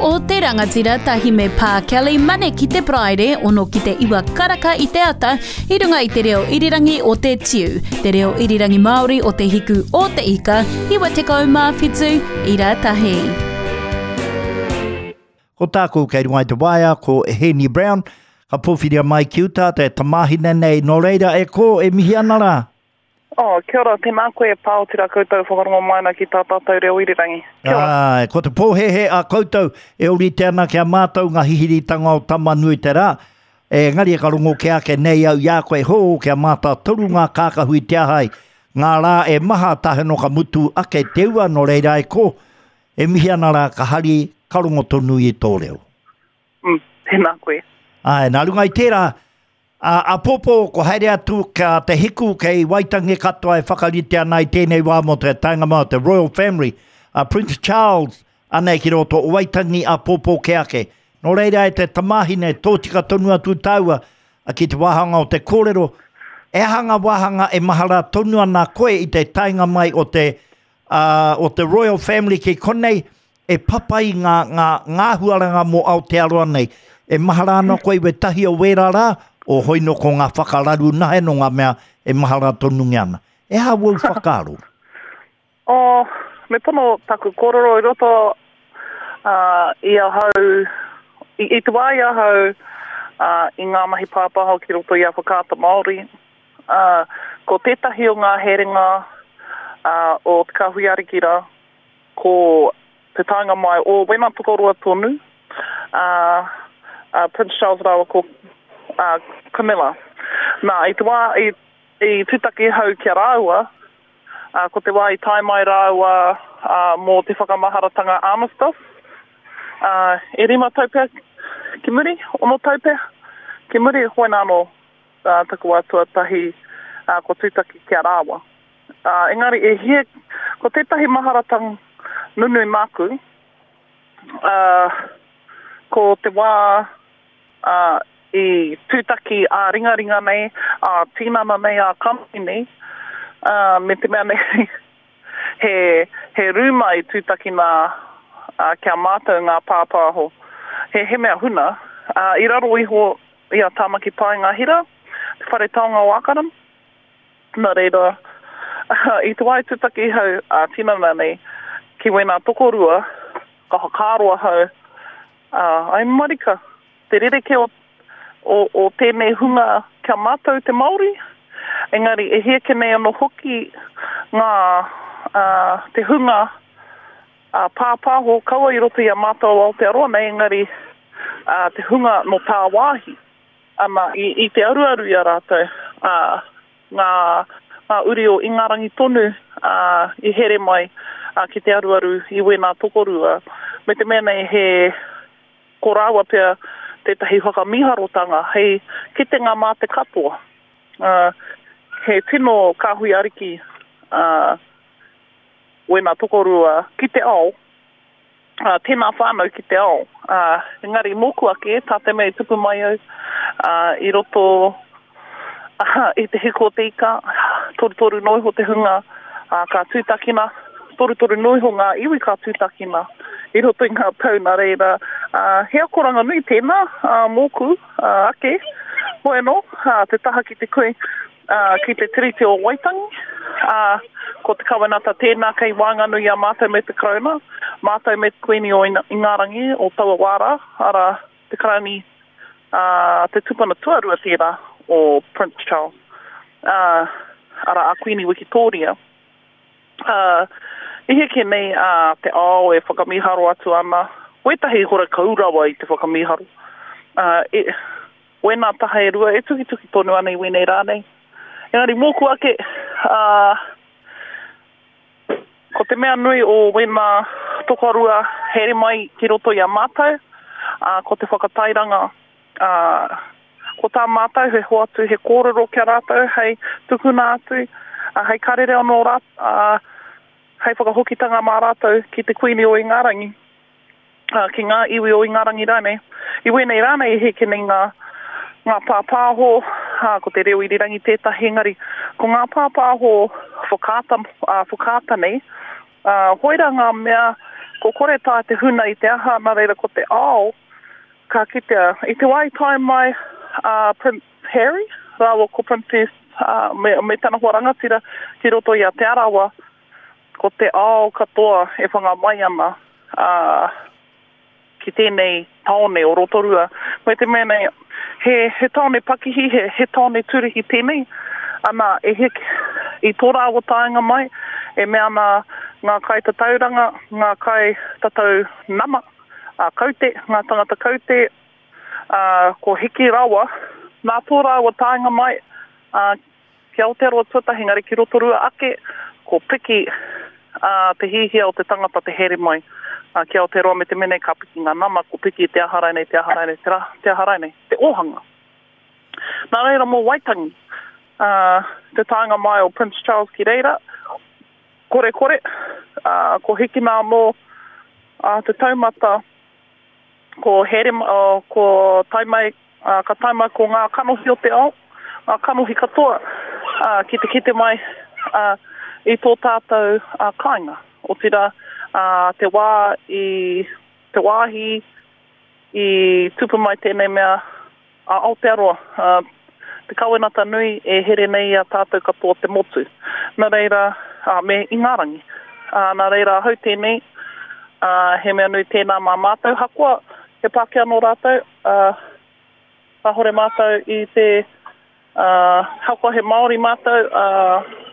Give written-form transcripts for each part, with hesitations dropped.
o te Rangatira tahi me Pā Kelly Mane ki te Paraire ono ki te iwa karaka i te ata i runga i te reo irirangi o te Tiu, te reo irirangi Māori o te Hiku o te Ika, 97 ira tahi. Ko tāku kei runga i te waea ko Heni Brown, ka pōwhiria mai ki uta te tamāhine nei, nō reira e kō e mihi ana rā. Oh, kia ora, tēnā koe e pā otirā koutou e whakarongo mai ana ki tā tātou reo irirangi. Kia ora. Āe, ko te pōhēhē a koutou e ōrite ana ki a mātou ngā hihiritanga o Tama-nui-te-rā, engari ka rongo kē ake nei au i a koe, hō, kia mātātoru ngā kākahu i te aha ai, ngā rā e maha tahe no ka mutu ake te ua, nō reira e kō, e mihi ana rā ka hari, ka rongo tonu i tō reo. Mm, tēnā koe. Āe, nā runga i tērā, Ā, āpōpō ko haere atu kia te hiku kei Waitangi katoa e whakarite ana i tēnei wā mō te taenga mai o te Royal Family, a Prince Charles, anei ki roto o Waitangi āpōpō kē ake. Nō reira e te tamāhine, tōtika tonu atu tāua ki te wāhanga o te kōrero, e aha ngā wāhanga e mahara tonu ana koe i te taenga mai o te, ā, o te Royal Family ki konei, e papai ngā, ngā, ngā huaranga mō Aotearoa nei. E mahara ana koe i wētahi o wērā rā, o hoi nō ko ngā whakararu nahe nō ngā mea e mahara tonungia ana. E aha wōu whakaaro? Oh, me pono taku kōrero i roto uh, i ahau, i, i te wā i ahau uh, i ngā mahi pāpāho ki roto i a Whakaata Māori, uh, ko tētahi o ngā herenga uh, o Te Kāhui Ariki rā, ko te taenga mai o wena tokoroa tonu, a, a Prince Charles rāua ko a, Camilla. Nā, i te wā i, i tūtaki ahau ki a rāua, a, ko te wā i tae mai rāua a, mō te whakamaharatanga Armistice, a, e rima tau pea ki muri, ono tau pea ki muri, hoena anō a, taku wā tuatahi a, ko tūtaki ki a rāua. Ā, engari e hia, ko tētahi maharatanga nunui māku, ā, ko te wā, ā, i tūtaki ā-ringaringa nei, ā-tinana nei, ā-kanohi nei, ā, me te mea nei, he, he rūma i tūtakina, ā, ki a mātou ngā pāpāho, he, he mea huna, ā, i raro iho i a Tāmaki Paenga Hira, te Whare Taonga o Ākarana. Nā reira, i te wā i tūtaki ahau ā-tinana nei ki wēnā tokorua, ka whakaaro ahau, ā, ai marika, te rerekē o, o, o tēnei hunga ki a mātou te Māori, engari e hia kē nei anō hoki ngā, ā, te hunga ā, pāpāho, kaua i roto i a mātou Aotearoa nei, engari, ā, te hunga nō tāwāhi. Ana, i, i te aruaru i a rātou, ā, ngā, ngā uri o Ingarangi tonu, ā, i here mai, ā, ki te aruaru i wēnā tokorua. Me te mea nei he, ko rāua pea tētahi whakamīharotanga hei kitenga mā te katoa. Ā, he tino kāhui ariki, ā, wēnā tokorua ki te ao, ā, tēnā whānau ki te ao. Ā, engari mōku ake, tā te mea i tupu mai au, ā, i roto ā, i te hiku o te ika, torutoru noa iho te hunga, ā, ka tūtakina, torutoru noa iho ngā iwi ka tūtakina i roto i ngā tau, nā reira, ā, he akoranga nui tēnā, ā, mōku, ā, ake, hoi anō, ā, te taha ki te kui, ā, ki te Tiriti o Waitangi, ā, ko te kawenata tēnā kei waenganui i a mātou me te Karauna, mātou me te Kuini o Ingarangi o taua wā rā, arā, te Karauni, ā, te tupuna tuarua tērā o Prince Charles, ā, arā, a Kuini Wikitōria. Ā, i heke nei a te ao e whakamīharo atu ana, wētahi horekau rawa i te whakamīharo, ā, e, Wēnā taha e rua e tukituki tonu ana i wēnei rā nei. Engari mōku ake, ā, ko te mea nui o wēnā tokorua here mai ki roto i a mātou, ā, ko te whakatairanga, ā, ko tā mātou he hoatu he kōrero ki a rātou hei tukuna atu, ā, hei karere anō rā, ā, hei whakahokitanga mā rātou ki te Kuini o Ingarangi. ā, ki ngā iwi o Ingarangi rānei. I wēnei rā nei e heke nei ngā, ngā pāpāho, ā, ko te reo irirangi tētahi, engari ko ngā pāpāho whakaata, ā, whakaata nei, ā, hoera ngā mea. Ko kore taea te huna i te aha, nā reira ko te ao ka kitea. I te wā i tae mai a Prince Harry rāua ko Princess me, me tana hoa rangatira ki roto i a Te Arawa, ko te ao katoa e whanga mai ana, ā, ki tēnei tāone o Rotorua. Me te mea nei, he, he tāone pakihi, he, he tāone turihi tēnei. Ana, e heke, i tō rāua taenga mai, e mea ana ngā kaitatauranga, ngā kaitatau nama, a kaute, ngā tangata kaute, ā, ko hiki rawa, nā tō rāua taenga mai, ā, Ki Aotearoa tuatahi engari ki Rotorua ake, ko piki te hihia o te tangata te haere mai ki Aotearoa me te mea nei ka piki ngā nama, ko piki te aha rainei, te aha rainei, te aha rainei, te ōhanga. Nā reira mō Waitangi, te taenga mai o Prince Charles ki reira, korekore, ko hikina anō te taumata, ko haere, ko tae mai Ā, ka tae mai ko ngā kanohi o te ao, ngā kanohi katoa, ā, ki te kite mai, ā, i tō tātou, ā, kāinga. Otirā, ā, te wā i, te wāhi i tupu mai tēnei mea a Aotearoa, ā, te kawenata nui e here nei i a tātou katoa te motu. Nā reira, ā, me Ingarangi. Ā, nā reira ahau tēnei, ā, he mea nui tēnā mā mātou, hakoa he Pākehā nō rātou, ā, kāhore mātou i te, ā, ahakoa he Māori mātou, ā,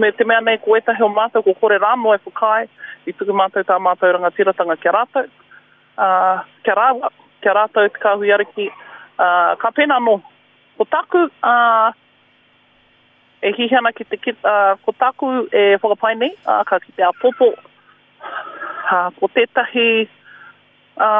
me te mea nei ko ētahi o mātou ko kore rānō e whakaae, i tuku mātou tā mātou rangatiratanga ki a rātou, ā, ki a rāua, ki a rātou te Kāhui Ariki, ā, ka pēnā anō. Ko tāku, ā, e hiahia ana ki te, ā, ko tāku e whakapae nei, ā, ka kite āpōpō, ā, ko tētahi, ā,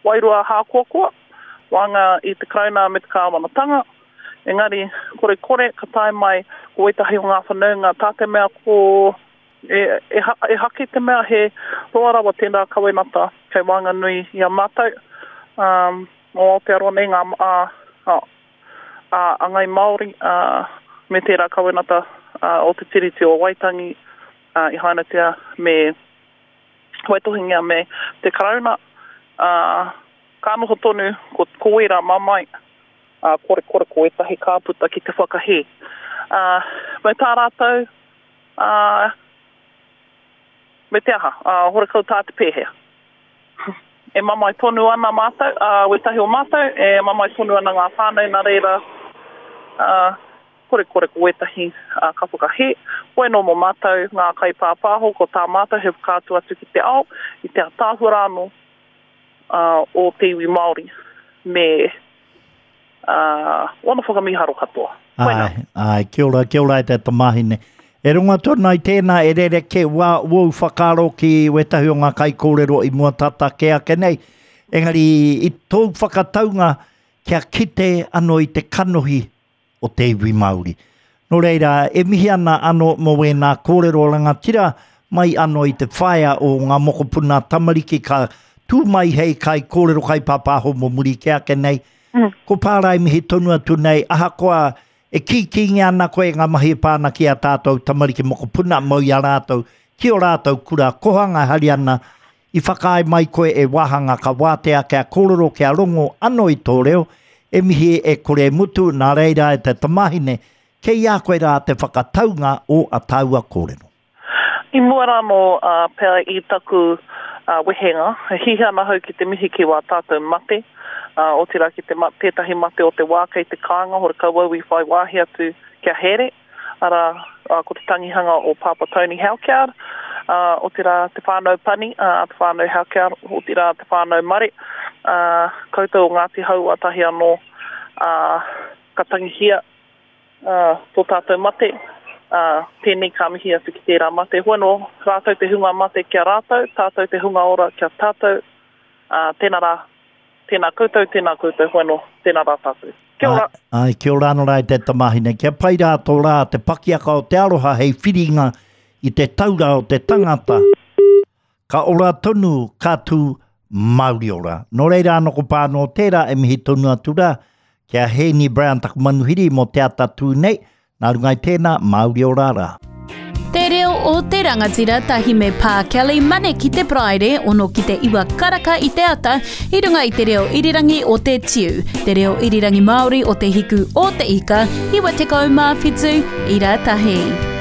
wairua hākoakoa, waenga i te Karauna me te Kāwanatanga, engari korekore ka tae mai ko wētahi o ngā whanaunga tā te mea ko e, e, e hake te mea he roa rawa tērā kawenata kei waenganui i a mātou um, o Aotearoa nei ngā a, a, a, a Ngai Māori a, me tērā kawenata a, o te Tiriti o Waitangi a, i hainatia me waitohingia me te Karauna, ā, ka noho tonu ko, ko wērā mamae, ā, korekore ko ētahi ka puta ki te whakahē. Ā, me tā rātou, ā, me te aha, ā, horekau tā te pēhea. E mamae tonu ana mātou, ā, wētahi o mātou, e mamae tonu ana ngā whānau, nā reira, ā, Korekore ko wētahi ka whakahē. Hoi anō mō mātou ngā kaipāpāho ko tā mātou he whakaatu atu ki te ao i te ataahua rā anō o te iwi Māori me ōna whakamīharo katoa. Koinā. Āe, āe, kia ora, kia ora e te tamāhine. E rongo atu ana i tēnā e rerekē wā wōu whakaaro ki wētahi o ngā kaikōrero i mua tata kē ake nei. Engari i tōu whakataunga kia kite anō i te kanohi o te iwi Māori. Nō reira, e mihi ana ano mō wēnā kōrero rangatira mai ano i te whaea o ngā mokopuna tamariki ka tū mai hei kai kōrero kai pāpāho mō muri kē ake nei. Mm. Ko Pārai mihi tonu atu nei, ahakoa e kīkīngia ana koe ngā mahi e pā ana ki a tātou tamariki mokopuna mau i a rātou, ki o rātou kura kohanga e hari ana I whakaae mai koe e wāhanga ka wātea kia kōrero kia rongo ano i tō reo, e mihi e kore e mutu, nā reira e te tamāhine, kei a koe rā te whakataunga o a tāua kōrero. I mua rānō pea i taku wehenga, e hiahia ana ahau ki te mihi ki wā tātou mate, otirā ki te tētahi mate o te wā kei te kāinga, horekau au i whai wāhi atu kia haere. arā, ko te tangihanga o Pāpā Tony Halkyard, ā, otirā te whānau Pani, ā, te whānau Halkyard, otirā te whānau Mare, ā, koutou o Ngāti Hauā tahi anō, ā, ka tangihia, ā, tō tātou mate, ā, tēnei ka mihi atu ki tērā mate. Hoi anō, rātou te hunga mate ki a rātou, tātou te hunga ora ki a tātou, ā, tēnā rā. Tēnā koutou, tēnā koutou, hoi anō, tēnā rā tātou. Kia ora. Ai, kia ora anō rā e te tamāhine. Kia pai rā tō rā te pakiaka o te aroha hei whiringa i te taura o te tangata. Ka ora tonu, ka tū mauri ora. Nō reira anō ko pā anō tērā e mihi tonu atu rā ki a Hēni Brown taku manuhiri mō te ata tū nei. Nā runga i tēnā, mauri ora rā. Te reo o te rangatira tahi me Pā Kelly Mane ki te Paraire ono ki te iwa karaka i te ata i runga i te reo irirangi o te Tiu, te reo irirangi Māori o te hiku o te ika, 97 ira tahi.